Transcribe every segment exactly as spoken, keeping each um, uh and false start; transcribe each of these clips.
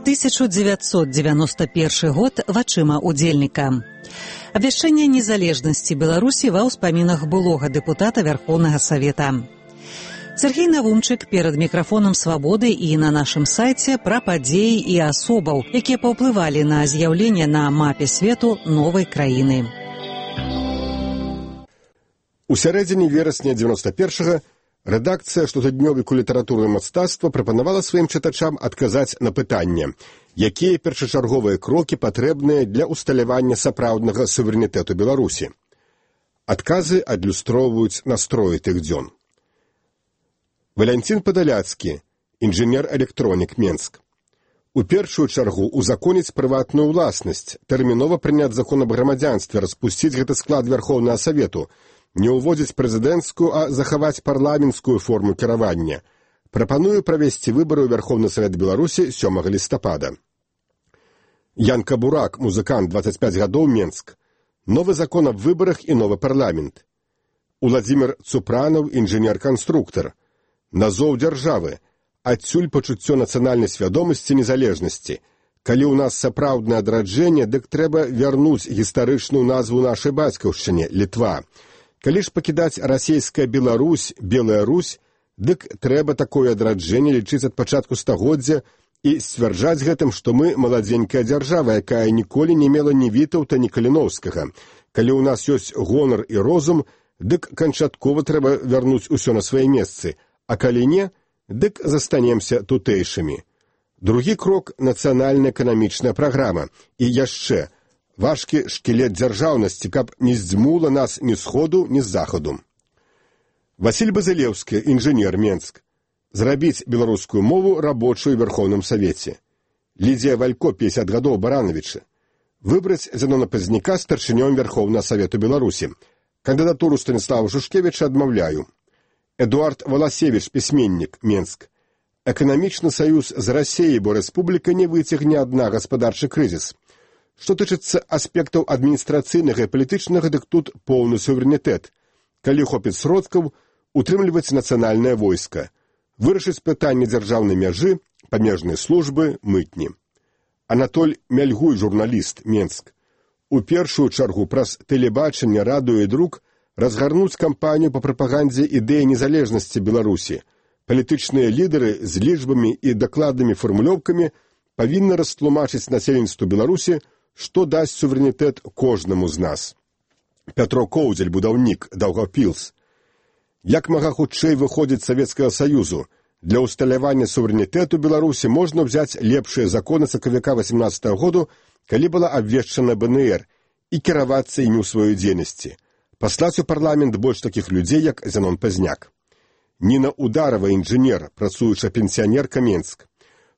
тысяча девятьсот девяносто первый год вачыма удзельніка. Абвяшчэнне незалежнасці Беларусі ва ўспамінах былога дэпутата Верховнага Савета. Сергей Навумчык перад мікрафонам «Свабоды» і на нашым сайце пра падзеі і асобаў, якія паўплывалі на з'яўленне на мапе свету новай краіны. У сярэдзіне верасня дзевяноста першага рэдакцыя штотыднёвіку літаратуры і мастацтва прапанавала сваім чытачам адказаць на пытанне, якія першачарговыя крокі патрэбныя для усталявання сапраўднага суверэнітэту Беларусі. Адказы адлюстроўваюць настроі тых дзён. Валянцін Падаляцкі, інжынер-электронік, Менск. У першую чаргу узаконіць прыватную ўласнасць, тэрмінова прыняць закон аб грамадзянстве, распусціць гэты склад Верховнага Савету, не ўводзіць прэзідэнцкую, а захаваць парламенцкую форму кіравання. Прапаную правесці выбары ў Верховны Савет Беларусі сёмага лістапада. Янка Бурак, музыкант, дваццаць пяць гадоў, Менск. Новы закон аб выбарах і новы парламент. Уладзімір Цупранаў, інжынер-канструктар. Назоў дзяржавы. Адсюль пачуццё нацыянальнай свядомасці незалежнасці. Калі ў нас сапраўднае адраджэнне, дык трэба вярнуць гістарычную назву нашай бацькаўшчыне – Літва. Калі ж пакідаць расейская Беларусь, Белая Русь, дык трэба такое адраджэнне лічыць ад пачатку стагоддзя і сцвярджаць гэтым, што мы маладзенькая дзяржава, якая ніколі не мела ні Вітаўта, ні Каліноўскага. Калі ў нас ёсць гонар і розум, дык канчаткова трэба вярнуць усё на свае месцы, а калі не, дык застанемся тутэйшымі. Другі крок – нацыянальная эканамічная праграма. І яшчэ – важкі шкілет дзяржаўнасці, каб не здзьмула нас ні сходу, ні з захаду. Васіль Базылеўскі, інжынер, Менск. Зрабіць беларускую мову рабочую ў Верховным Савеце. Лідзія Валько, пяцьдзясят гадоў, Барановічы. Выбраць Зянона Пазняка старшынём Верховнага Савету Беларусі. Кандыдатуру Станіслава Шушкевіча адмаўляю. Эдуард Валасевіч, пісьменнік, Менск. Эканамічны саюз з Расіяй, бо рэспубліка не выцягне адна гаспадарчы крызіс. Што тычыцца аспектаў адміністрацыйнага і палітычнага, дык тут поўны суверэнітэт. Калі хопіць сродкаў, утрымліваць нацыянальнае войска. Вырашыць пытанне дзяржаўнай мяжы, памежнай службы, мытні. Анатоль Мяльгуй, журналіст, Менск. У першую чаргу праз тэлебачанне, радыё і друк разгарнуць кампанію па прапагандзе ідэі незалежнасці Беларусі. Палітычныя лідары з лічбамі і дакладнымі фармулёўкамі павінны растлумачыць насельніцтву Беларусі, што дасць суверэнітэт кожнаму з нас. Пятро Коўдзель, будаўнік, Даўгаўпілс. Як мага хутчэй выходзіць Савецкага Саюзу? Для ўсталявання суверэнітэту Беларусі можна ўзяць лепшыя законы сакавіка васемнаццатага году, калі была абвешчана бэ эн ер, і кіравацца імі ў сваёй дзейнасці. Паслаць у парламент больш такіх людзей, як Зянон Пазняк. Ніна Ударова, інжынер, працуючая пенсіянерка, Менск.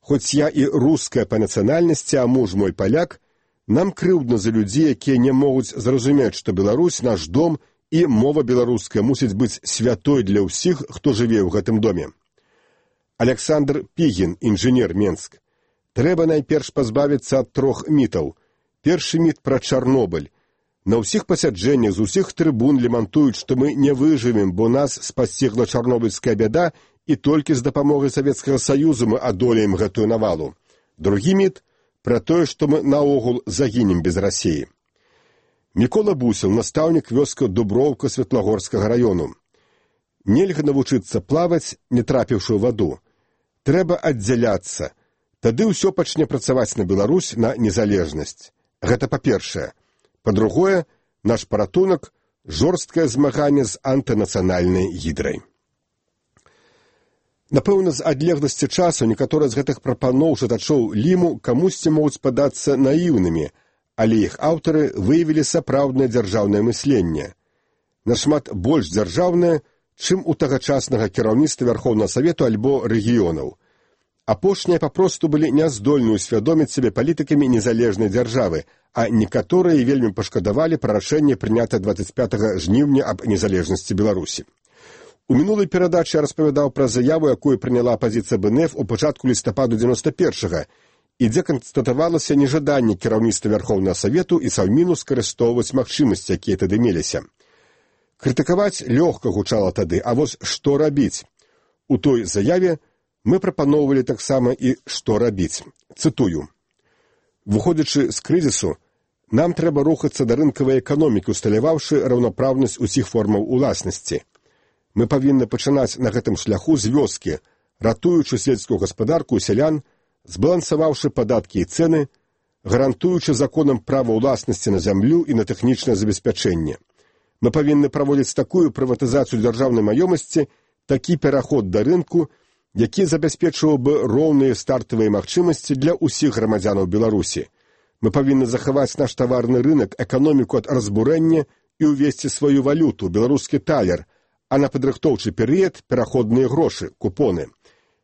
Хоць я і руская па нацыянальнасці, а муж мой паляк, нам крыўдна за людзей, якія не могуць зразумець, што Беларусь, наш дом і мова беларуская мусіць быць святой для ўсіх, хто жыве ў гэтым доме. Александр Пігін, інжынер, Менск. Трэба найперш пазбавіцца ад трох мітаў. Першы міт пра Чарнобыль. На ўсіх пасяджэннях з усіх трыбун лемантуюць, што мы не выжывем, бо нас спасцігла чарнобыльская бяда, і толькі з дапамогай Савецкага Саюзу мы адолеем гэтую навалу. Другі міт пра тое, што мы наогул загінем без Расіі. Мікола Бусел, настаўнік вёска Дуброўка Светлагорскага раёну. Нельга навучыцца плаваць, не трапіўшы ў ваду. Трэба аддзяляцца. Тады ўсё пачне працаваць на Беларусь, на незалежнасць. Гэта па-першае. Па-другое, наш паратунак – жорсткае змаганне з антынацыянальнай гідрай. Напэўна, з адлегласці часу некаторыя з гэтых прапаноў чытачоў Ліму камусьці могуць падацца наіўнымі, але іх аўтары выявілі сапраўднае дзяржаўнае мысленне. Нашмат больш дзяржаўнае, чым у тагачаснага кіраўніцтва Верховнага Савету альбо рэгіёнаў. Апошнія папросту былі няздольны ўсвядоміць сябе палітыкамі незалежнай дзяржавы, а некаторыя вельмі пашкадавалі пра рашэнне прынятае дваццаць пятага жніўня аб незалежнасці Беларусі. У мінулай перадачы я распавядаў пра заяву, якую прыняла апазіцыя бэ эн эф у пачатку лістападу дзевяноста першага, і дзе канстатавалася нежаданне кіраўніцтва Верховнага Савету і Саўміну скарыстоўваць магчымасці, якія тады меліся. Крытыкаваць лёгка гучала тады, а вось што рабіць? У той заяве Мы прапаноўвалі таксама і што рабіць. Цытую. Выходзячы з крызісу, нам трэба рухацца да рынкавай эканомікі, усталяваўшы раўнапраўнасць усіх формаў уласнасці. Мы павінны пачынаць на гэтым шляху з вёскі, ратуючы сельскую гаспадарку і сялян, збалансаваўшы падаткі і цэны, гарантуючы законам права ўласнасці на зямлю і на тэхнічнае забеспячэнне. Мы павінны праводзіць такую прыватызацыю дзяржаўнай маёмасці, такі пераход да рынку, які забяспечваў бы роўныя стартавыя магчымасці для ўсіх грамадзянаў Беларусі. Мы павінны захаваць наш таварны рынак, эканоміку ад разбурэння і ўвесці сваю валюту, беларускі талер, а на падрыхтоўчы перыяд пераходныя грошы, купоны.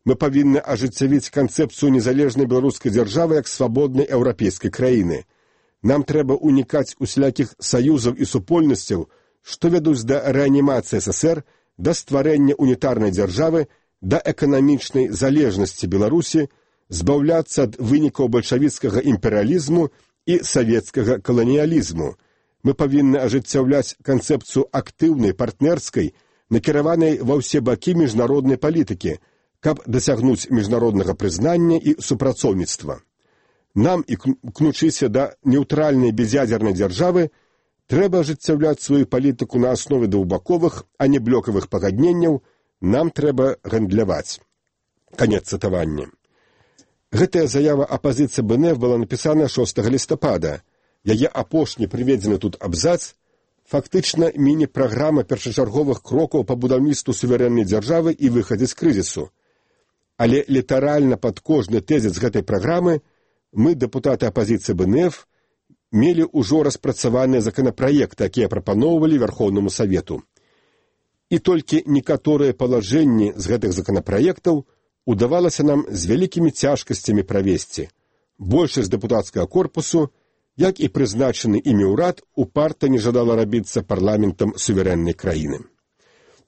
Мы павінны ажыццявіць канцэпцыю незалежнай беларускай дзяржавы як свабоднай еўрапейскай краіны. Нам трэба унікаць усялякіх саюзаў і супольнасцяў, што вядуць да рэанімацыі эс эс ер, да стварэння унітарнай дзяржавы, да эканамічнай залежнасці Беларусі, збаўляцца ад вынікаў бальшавіцкага імперыялізму і савецкага каланіялізму. Мы павінны ажыццяўляць канцэпцыю актыўнай, партнерскай, накіраванай ва ўсе бакі міжнароднай палітыкі, каб дасягнуць міжнароднага прызнання і супрацоўніцтва. Нам, імкнучыся да нейтральнай без'ядзернай дзяржавы, трэба ажыццяўляць сваю палітыку на аснове двухбаковых, а не блокавых пагадненняў, нам трэба гандляваць. Канец цытавання. Гэтая заява апазіцыі бэ эн эф была напісана шостага лістапада. Яе апошні прыведзены тут абзац фактычна міні-праграма першачарговых крокаў па будаўніцтву суверэннай дзяржавы і выхадзе з крызісу. Але літаральна пад кожны тэзіс гэтай праграмы мы, дэпутаты апазіцыі бэ эн эф, мелі ўжо распрацаваныя законапраекты, якія прапаноўвалі Вярхоўнаму Савету. І толькі некаторыя палажэнні з гэтых законапраектаў удавалася нам з вялікімі цяжкасцямі правесці. Большасць дэпутацкага корпусу, як і прызначаны імі ўрад, упарта не жадала рабіцца парламентам суверэннай краіны.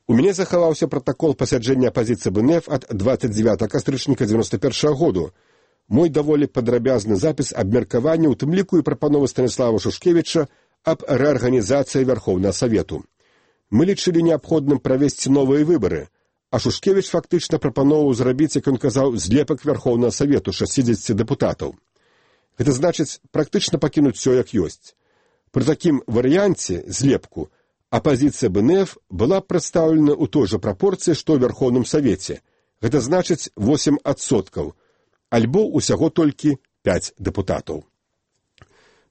У мяне захаваўся пратакол пасяджэння апазіцыі бэ эн эф ад дваццаць дзевятага кастрычніка дзевяноста першага году. Мой даволі падрабязны запіс абмеркавання, у тым ліку і прапановы Станіслава Шушкевіча аб рэарганізацыі Вярхоўнага Савету. Мы лічылі неабходным правесці новыя выбары, а Шушкевіч фактычна прапановаў зрабіць, як ён казаў, злепак Вярхоўнага Савету шэсцідзесяці дэпутатаў. Гэта значыць практычна пакінуць усё як ёсць. Пры такім варыянце, злепку, апазіцыя бэ эн эф была прадстаўлена ў той жа прапорцыі, што ў Вярхоўным Савеце. Гэта значыць восем адсоткаў, альбо ўсяго толькі пяць дэпутатаў.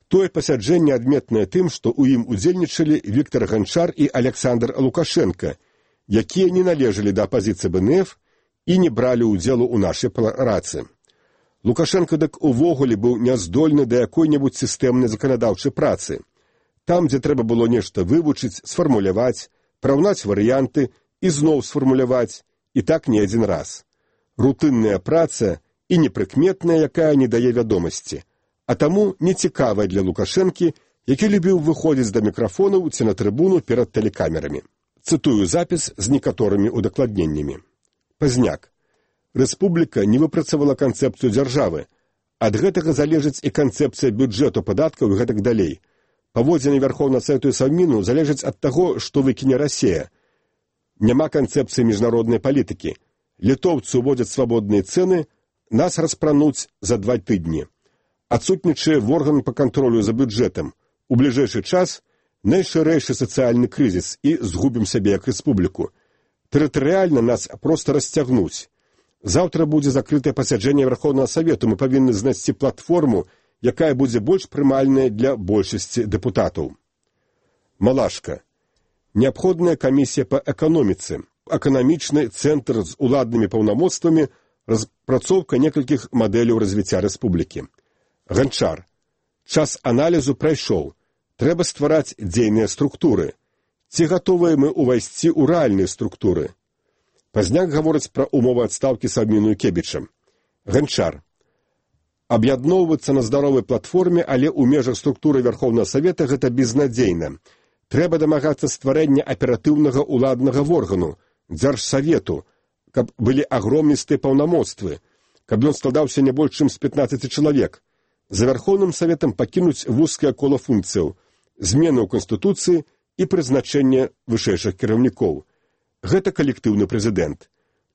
Тое пасяджэнне адметнае тым, што ў ім удзельнічалі Віктар Ганчар і Александр Лукашенка, якія не належалі да апазіцыі бэ эн эф і не бралі ўдзелу ў нашай працы. Лукашенко дык увогуле быў няздольны да якой-небудзь сістэмнай заканадаўчай працы. Там, дзе трэба было нешта вывучыць, сфармуляваць, параўнаць варыянты і зноў сфармуляваць, і так не адзін раз. Рутынная праца і непрыкметная, якая не дае вядомасці, а таму нецікавая для Лукашэнкі, які любіў выходзіць да мікрафонаў ці на трыбуну перад тэлекамерамі. Цытую запіс з некаторымі удакладненнямі. Пазняк. Рэспубліка не выпрацавала канцэпцыю дзяржавы. Ад гэтага залежыць і канцэпцыя бюджэту, падаткаў і гэтак далей. Паводзіны Вярхоўнага Савету і Саўміну залежаць ад таго, што выкіне Расія. Няма канцэпцыі міжнароднай палітыкі. Літоўцы ўводзяць свабодныя цэны, нас распрануць за два тыдні. Адсутнічае орган па кантролю за бюджэтам. У бліжэйшы час найшырэйшы сацыяльны крызіс і згубім сябе як рэспубліку. Тэрытарыяльна нас проста расцягнуць. Заўтра будзе закрытае пасяджэнне Вярхоўнага Савету. Мы павінны знайсці платформу, якая будзе больш прымальная для большасці дэпутатаў. Малашка. Неабходная камісія па эканоміцы, эканамічны цэнтр з уладнымі паўнамоцтвамі, распрацоўка некалькіх мадэляў развіцця рэспублікі. Ганчар. Час аналізу прайшоў. Трэба ствараць дзейныя структуры. Ці гатовыя мы ўвайсці ў рэальныя структуры? Пазняк гаворыць пра умовы адстаўкі Саўміну і Кебічам. Ганчар. Аб'ядноўвацца на здаровай платформе, але ў межах структуры Вярхоўнага Савета гэта безнадзейна. Трэба дамагацца стварэння аператыўнага ўладнага органу, дзяржсавету, каб былі агромністыя паўнамоцтвы, каб ён складаўся не больш чым з пятнаццаці чалавек. За Вярхоўным Саветам пакінуць вузкае кола функцыяў, змены ў Канстытуцыі і прызначэнне вышэйшых кіраўнікоў. Гэта калектыўны прэзідэнт.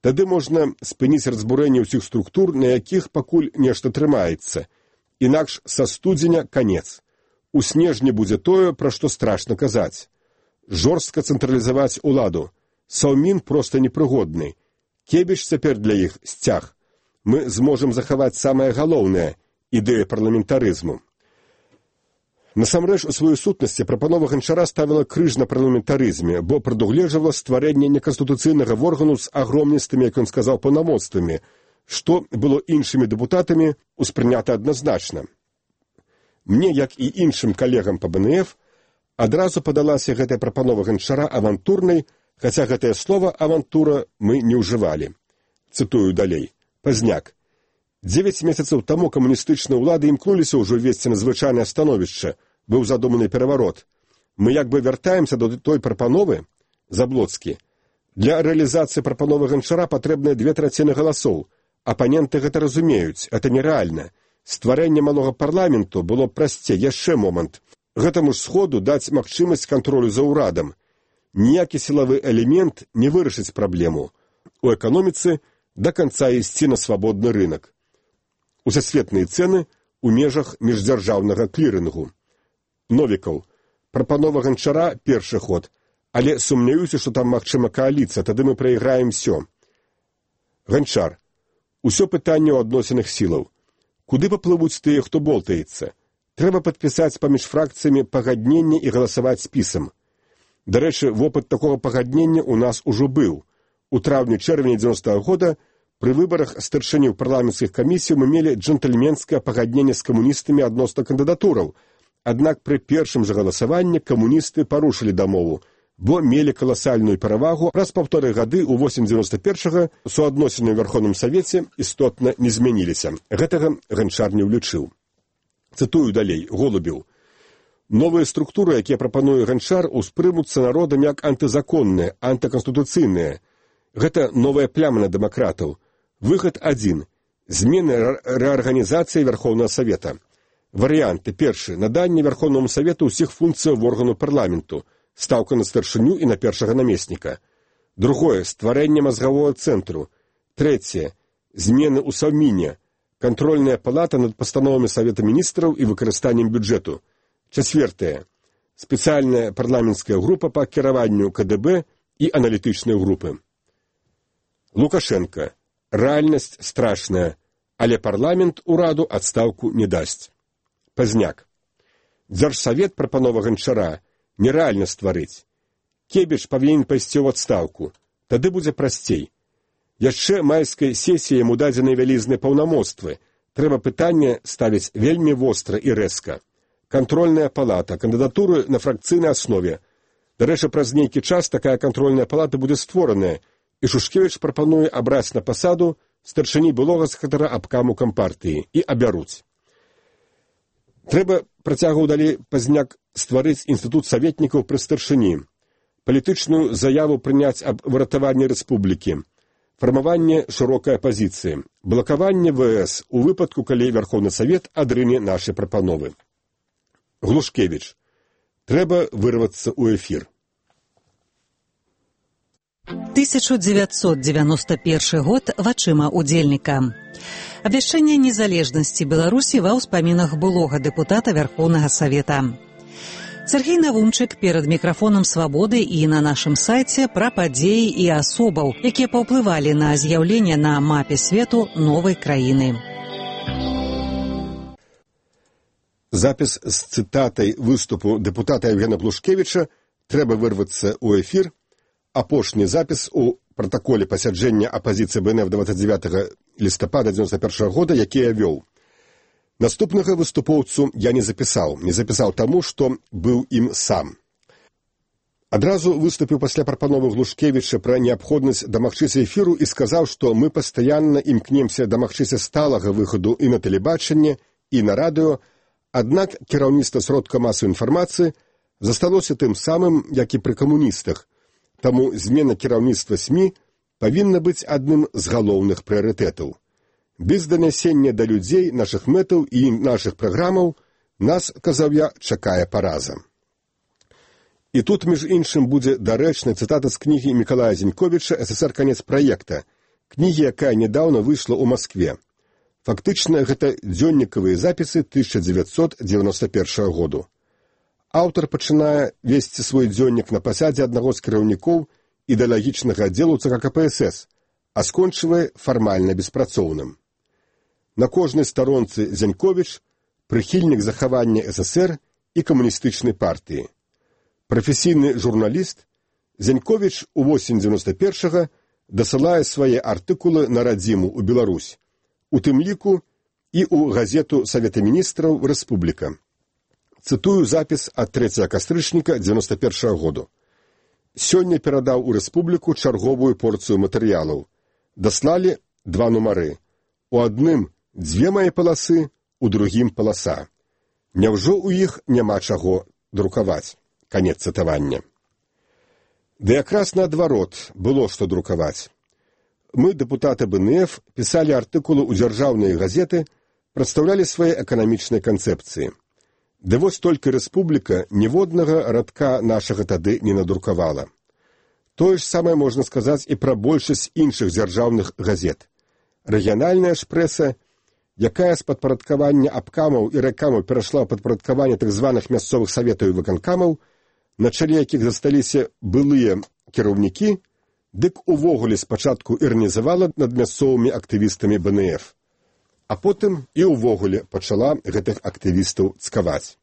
Тады можна спыніць разбурэнне ўсіх структур, на якіх пакуль нешта трымаецца. Інакш са студзеня канец. У снежні будзе тое, пра што страшна казаць. Жорстка цэнтралізаваць уладу. Саўмін проста непрыгодны. Кебіч цяпер для іх сцяг. Мы зможам захаваць самае галоўнае – ідэя парламентарызму. Насамрэч, у сваёй сутнасці прапанова Ганчара ставіла крыж на парламентарызме, бо прадугледжвала стварэнне неканстытуцыйнага органу з агромністымі, як ён сказаў, паўнамоцтвамі, што было іншымі дэпутатамі ўспрынята адназначна. Мне, як і іншым калегам па бэ эн эф, адразу падалася гэтая прапанова Ганчара авантурнай, хаця гэтае слова «авантура» мы не ўжывалі. Цытую далей. Пазняк. Дзевяць месяцаў таму камуністычныя ўлады імкнуліся ўжо ввесці надзвычайнае становішча, быў задуманы пераварот. Мы як бы вяртаемся до той прапановы, Заблоцкі. Для рэалізацыі прапановы Ганчара патрэбныя две траціны галасоў. Апаненты гэта разумеюць, это нерэальна. Стварэнне малога парламенту было прасцей, яшчэ момант. Гэтаму ж сходу даць магчымасць кантролю за ўрадам. Ніякі сілавы элемент не вырашыць праблему. У эканоміцы да канца ісці на свабодны рынак. Усесветныя цэны ў межах міждзяржаўнага клірынгу. Новікаў. Прапанова Ганчара – першы ход, але сумняюся, што там магчыма кааліцыя, тады мы прайграем всё. Ганчар. Усё пытанне ў адносінах сілаў. Куды паплывуць тыя, хто болтаецца? Трэба падпісаць паміж фракцыямі пагадненне і галасаваць спісам. Дарэчы, вопыт такога пагаднення ў нас ужо быў. У траўні-чэрвені дзевяностага года пры выбарах старшыняў парламенцкіх камісій мы мелі джентльменскае пагадненне з камуністамі адносна кандыдатураў, аднак пры першым жа галасаванні камуністы парушылі дамову, бо мелі каласальную перавагу, праз паўторы гады ў восень дзевяноста першага суадносіны ў Верховным Савеце істотна не змяніліся. Гэтага Ганчар не ўлічыў. Цытую далей, Голубеў. Новыя структуры, якія прапануе Ганчар, успрымуцца народам як антызаконныя, антыканстытуцыйныя. Гэта новая пляма на дэмакратаў. Выхад адзін. Змены рэарганізацыі Верховнага Савета. Варыянты. Першы. Наданне Верховному Савету ўсіх функцыяў органу парламенту. Стаўка на старшыню і на першага намесніка. Другое. Стварэнне мазгавога цэнтру. Трэцяе. Змены ў Саўміне. Кантрольная палата над пастановамі Савета міністраў і выкарыстаннем бюджэту. Чацвёртае. Спецыяльная парламенцкая група па кіраванню ка дэ бэ і аналітычныя групы. Лукашенко. Рэальнасць страшная, але парламент ураду адстаўку не дасць. Пазняк. Дзяржсавет прапанова Ганчара нерэальна стварыць. Кебіч павінен пайсці ў адстаўку. Тады будзе прасцей. Яшчэ майскай сесіі яму дадзены вялізныя паўнамоцтвы. Трэба пытанне ставіць вельмі востра і рэзка. Кантрольная палата, кандыдатуры на фракцыйнай аснове. Дарэчы, праз нейкі час такая кантрольная палата будзе створаная, і Шушкевіч прапануе абраць на пасаду старшыні былога сакратара абкаму кампартыі і абяруць. Трэба, працягваў далей Пазняк, стварыць інстытут саветнікаў пры старшыні, палітычную заяву прыняць аб выратаванні рэспублікі, фармаванне шырокай апазіцыі, блакаванне вэ эс у выпадку, калі Верховны Савет адрыне нашы прапановы. Глушкевіч. Трэба вырвацца ў эфір. тысяча девятьсот девяносто первый год вачыма удзельніка. Абвяшчэнне незалежнасці Беларусі ва ўспамінах былога дэпутата Верховнага Савета. Сергей Навумчык перад мікрафонам «Свабоды» і на нашым сайце пра падзеі і асобаў, якія паўплывалі на з'яўленне на мапе свету новай краіны. Запіс з цытатай выступу дэпутата Евгена Глушкевіча «Трэба вырвацца ў эфір». Апошні запіс у пратаколе пасяджэння апазіцыі бэ эн эф двадцать девятого лістапада девяносто первого года, які я вёў. Наступнага выступоўцу я не запісаў. Не запісаў таму, што быў ім сам. Адразу выступіў пасля прапановы Глушкевіча пра неабходнасць дамагчыся эфіру і сказаў, што мы пастаянна імкнемся дамагчыся сталага выхаду і на тэлебачанне, і на радыё, аднак кіраўніцтва сродка масавай інфармацыі засталося тым самым, як і пры камуністах. Таму змена кіраўніцтва СМІ павінна быць адным з галоўных прыярытэтаў. Без данясення да людзей нашых мэтаў і нашых праграмаў нас, казаў я, чакае параза. І тут, між іншым, будзе дарэчная цытата з кнігі Мікалая Зіньковіча «СССР. Канец праекта». кнігі, якая нядаўна выйшла ў Маскве. Фактычна, гэта дзённікавыя запісы тысяча дзевяцьсот дзевяноста першага году. Аўтар пачынае весці свой дзённік на пасадзе аднаго з кіраўнікоў ідэалагічнага аддзелу ЦК КПСС, а скончвае фармальна беспрацоўным. На кожнай старонцы Зяньковіч прыхільнік захавання ССР і камуністычнай партыі. Прафесійны журналіст, Зяньковіч у восень дзевяноста першага дасылае свае артыкулы на радзіму ў Беларусь, у тым ліку і ў газету Савета міністраў «Рэспубліка». Цытую запіс ад трэцяга кастрычніка дзевяноста першага году. Сёння перадаў у Рэспубліку чарговую порцыю матэрыялаў. Даслалі два нумары. У адным дзве мае паласы, у другім паласа. Няўжо ў іх няма чаго друкаваць? Канец цытавання. Ды якраз наадварот было што друкаваць. Мы, дэпутаты БНФ, пісалі артыкулы ў дзяржаўныя газеты, прадстаўлялі свае эканамічныя канцэпцыі. Ды вось толькі Рэспубліка ніводнага радка нашага тады не надрукавала. Тое ж самае можна сказаць і пра большасць іншых дзяржаўных газет. Рэгіянальная ж прэса, якая з падпарадкавання абкамаў і рэкамаў перайшла ў падпарадкаванне так званых мясцовых саветаў і выканкамаў, на чале якіх засталіся былыя кіраўнікі, дык увогуле спачатку іранізавала над мясцовымі актывістамі БНФ, а потым і ўвогуле пачала гэтых актывістаў цкаваць.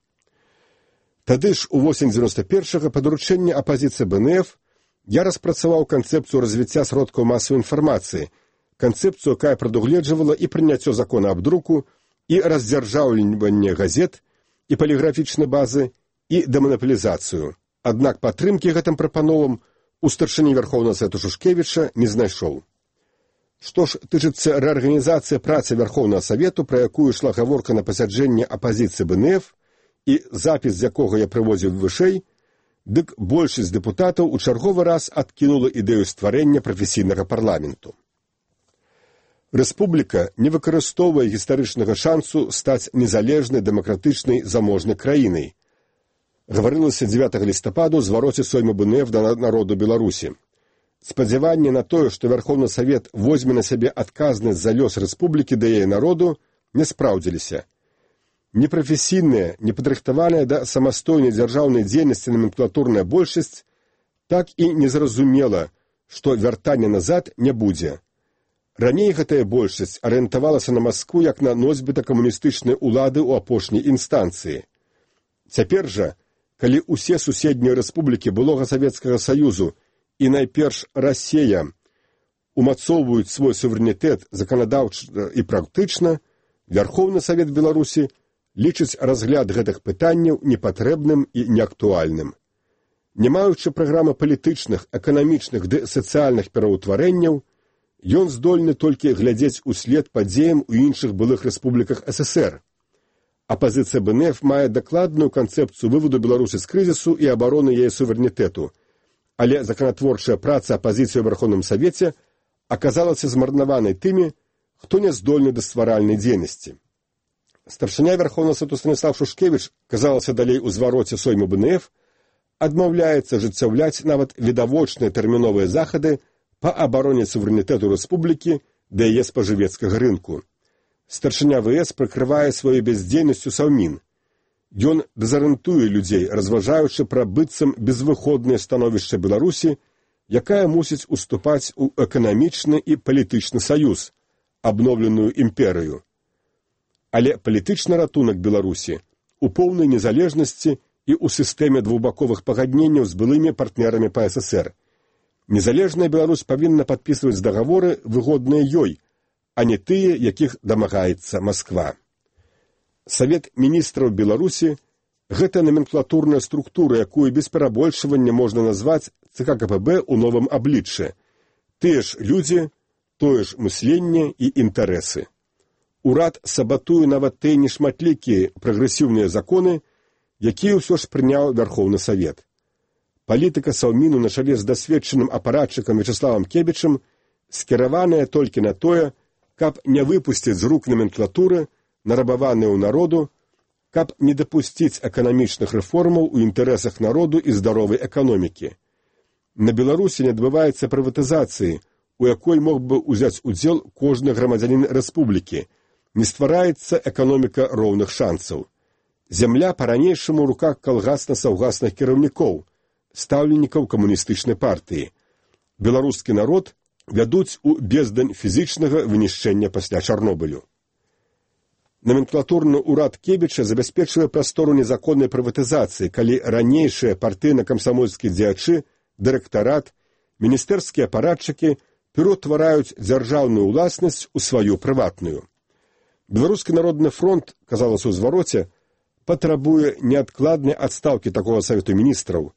Тады ж у восень дзевяноста першага па даручэнні апазіцыі БНФ я распрацаваў канцэпцыю развіцця сродкаў масавай інфармацыі, канцэпцыю, якая прадугледжвала і прыняццё закона аб друку, і раздзяржаўленне газет, і паліграфічнай базы, і дэманапалізацыю. Аднак падтрымкі гэтым прапановам у старшыні Вярхоўнага Савету Шушкевіча не знайшоў. Што ж тычыцца рэарганізацыі працы Вярхоўнага Савету, пра якую ішла гаворка на пасяджэнні апазіцыі БНФ, і запіс з якога я прыводзіў вышэй, дык большасць дэпутатаў у чарговы раз адкінула ідэю стварэння прафесійнага парламенту. Рэспубліка не выкарыстоўвае гістарычнага шансу стаць незалежнай, дэмакратычнай, заможнай краінай. Гаварылася дзевятага лістапада ў звароце соймы БНФ да народу Беларусі. Спадзяванне на тое, што Вярхоўны Савет возьме на сябе адказнасць за лёс рэспублікі да яе народу, не спраўдзіліся. Непрафесійная, непадрыхтаваная да самастойнай дзяржаўнай дзейнасці номенклатурная большасць так і не зразумела, што вяртання назад не будзе. Раней гэтая большасць арыентавалася на Маскву як на носьбіта камуністычнай улады ў апошняй інстанцыі. Цяпер жа, калі ўсе суседнія рэспублікі былога Савецкага Саюзу і найперш Расія умацоўваюць свой суверэнітэт заканадаўча і практычна, Вярхоўны Савет Беларусі лічыць разгляд гэтых пытанняў непатрэбным і неактуальным. Не маючы праграмы палітычных, эканамічных ды сацыяльных пераўтварэнняў, ён здольны толькі глядзець услед падзеям у іншых былых рэспубліках ССР. Апазіцыя БНФ мае дакладную канцэпцыю выводу Беларусі з крызісу і абароны яе суверэнітэту, але законатворчая праца апазіцыі ў Вярхоўным Савеце аказалася змарнаванай тымі, хто не здольны да стваральнай дзейнасці. Старшыня Вярхоўнага Савету Станіслав Шушкевіч, казалася далей у звароце соймы БНФ, адмаўляецца ажыццяўляць нават відавочныя тэрміновыя захады па абароне суверэнітэту рэспублікі да яе спажывецкага рынку. Старшыня ВС прыкрывае сваёй бяздзейнасцю Саўмін. Ён дэзарыентуе людзей, разважаючы пра быццам безвыходнае становішча Беларусі, якая мусіць уступаць у эканамічны і палітычны саюз, абноўленую імперыю. Але палітычны ратунак Беларусі у поўнай незалежнасці і ў сістэме двухбаковых пагадненняў з былымі партнерамі па ССР. Незалежная Беларусь павінна падпісваць дагаворы, выгодныя ёй, а не тыя, якіх дамагаецца Масква. Савет міністраў Беларусі – гэта номенклатурная структура, якую без перабольшвання можна назваць ЦК КПБ ў новым абліччы. Тыя ж людзі, тое ж мысленне і інтарэсы. Урад сабатуе нават тыя нешматлікія прагрэсіўныя законы, якія ўсё ж прыняў Вярхоўны Савет. Палітыка Саўміну на чале з дасведчаным апаратчыкам Вячаславам Кебічам скіраваная толькі на тое, каб не выпусціць з рук номенклатуры, нарабаваныя ў народу, каб не дапусціць эканамічных рэформаў у інтарэсах народу і здаровай эканомікі. На Беларусі не адбываецца прыватызацыі, у якой мог бы ўзяць удзел кожны грамадзянін рэспублікі. Не ствараецца эканоміка роўных шансаў. Зямля па-ранейшаму ў руках калгасна-саўгасных кіраўнікоў, стаўленнікаў камуністычнай партыі. Беларускі народ вядуць у бездань фізічнага вынішчэння пасля Чарнобылю. Номенклатурны ўрад Кебіча забяспечвае прастору незаконнай прыватызацыі, калі ранейшыя партыйна-камсамольскія дзеячы, дырэктарат, міністэрскія апаратчыкі пераўтвараюць дзяржаўную ўласнасць у сваю прыватную. Беларускі народны фронт, казалася ў звароце, патрабуе неадкладнай адстаўкі такога савету міністраў.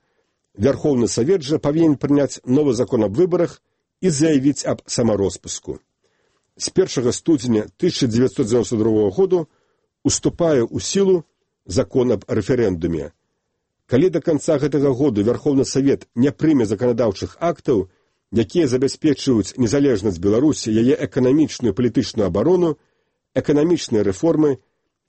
Вярхоўны савет жа павінен прыняць новы закон аб выбарах і заявіць аб самароспуску. З першага студзеня тысяча дзевяцьсот дзевяносто другога году уступае ў сілу закон аб рэферэндуме. Калі да канца гэтага году Вярхоўны савет не прыме заканадаўчых актаў, якія забяспечваюць незалежнасць Беларусі, яе эканамічную і палітычную абарону, эканамічныя рэформы,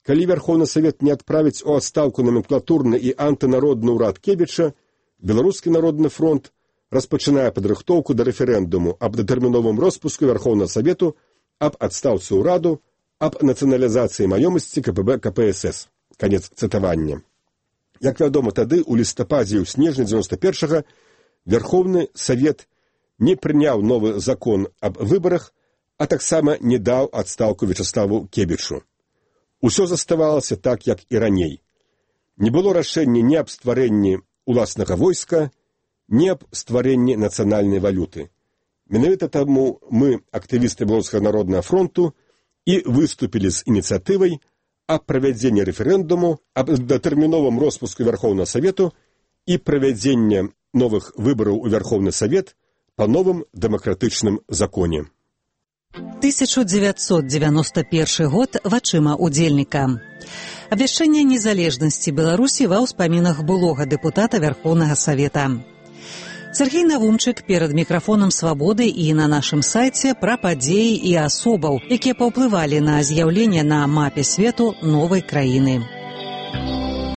калі Вярхоўны савет не адправіць у адстаўку номенклатурны і антынародны ўрад Кебіча, Беларускі народны фронт распачынае падрыхтоўку да рэферэндуму аб датэрміновым роспуску Вярхоўнага савету, аб адстаўцы ўраду, аб нацыяналізацыі маёмасці ка пэ бэ ка пэ эс эс. Канец цытавання. Як вядома, тады, у лістападзе і ў снежні дзевяносто першага, Вярхоўны савет не прыняў новы закон аб выбарах, а таксама не даў адстаўку Вячаславу Кебічу. Усё заставалася так, як і раней. Не было рашэння ні аб стварэнні уласнага войска, ні аб стварэнні нацыянальнай валюты. Менавіта таму мы, актывісты Беларускага народнага фронту, і выступілі з ініцыятывай аб правядзенні рэферэндуму, аб датэрміновым роспуску Вярхоўнага савету і правядзення новых выбараў у Вярхоўны савет па новым дэмакратычным законе. тысяча девятьсот девяносто первый год вачыма удзельніка. Абвяшчэнне незалежнасці Беларусі ва ўспамінах былога дэпутата Вярхоўнага савета. Сергей Навумчык перад мікрафонам «Свабоды» і на нашым сайце пра падзеі і асобаў, якія паўплывалі на з'яўленне на мапе свету новай краіны.